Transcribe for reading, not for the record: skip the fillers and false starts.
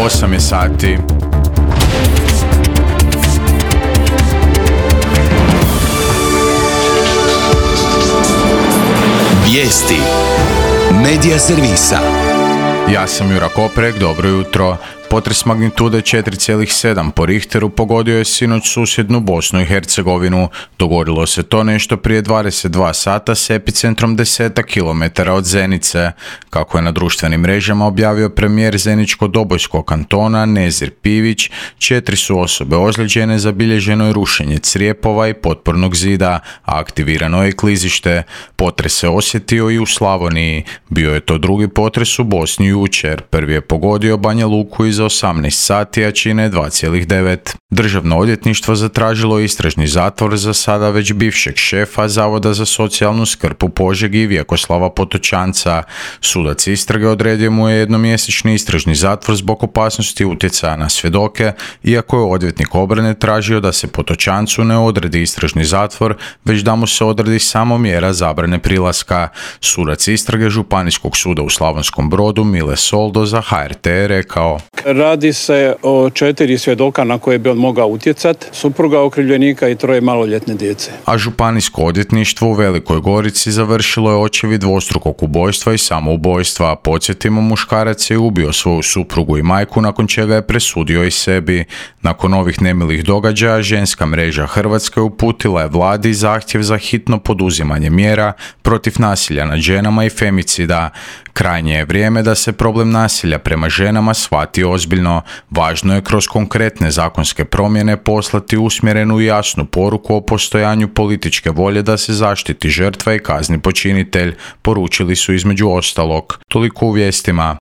8 je sati. Vijesti Medija servisa. Ja sam Jura Koprek, dobro jutro. Potres magnitude 4,7 po Richteru pogodio je sinoć susjednu Bosnu i Hercegovinu. Dogodilo se to nešto prije 22 sata s epicentrom 10 km od Zenice. Kako je na društvenim mrežama objavio premijer Zeničko-Dobojskog kantona Nezir Pivić, 4 su osobe ozlijeđene, zabilježeno je rušenje crijepova i potpornog zida, a aktivirano je klizište. Potres se osjetio i u Slavoniji. Bio je to drugi potres u Bosni jučer. Prvi je pogodio Banja Luku iza 18 sati, a čine 2,9. Državno odvjetništvo zatražilo istražni zatvor za sada već bivšeg šefa Zavoda za socijalnu skrb u Požegi Vjekoslava Potočanca. Sudac istrage odredio mu je jednomjesečni istražni zatvor zbog opasnosti utjecaja na svjedoke, iako je odvjetnik obrane tražio da se Potočancu ne odredi istražni zatvor, već da mu se odredi samo mjera zabrane prilaska. Sudac istrage Županijskog suda u Slavonskom Brodu Mile Soldo za HRT je rekao: Radi se o 4 svjedoka na koje bi on mogao utjecati, supruga okrivljenika i 3 maloljetne djece. A Županijsko odvjetništvo u Velikoj Gorici završilo je očevid dvostrukog ubojstva i samoubojstva. Podsjetimo, muškarac je ubio svoju suprugu i majku, nakon čega je presudio i sebi. Nakon ovih nemilih događaja, Ženska mreža Hrvatske uputila je vladi zahtjev za hitno poduzimanje mjera protiv nasilja nad ženama i femicida. Krajnje je vrijeme da se problem nasilja prema ženama shvati ozbiljno. Važno je kroz konkretne zakonske promjene poslati usmjerenu i jasnu poruku o postojanju političke volje da se zaštiti žrtva i kazni počinitelj, poručili su između ostalog. Toliko u vijestima.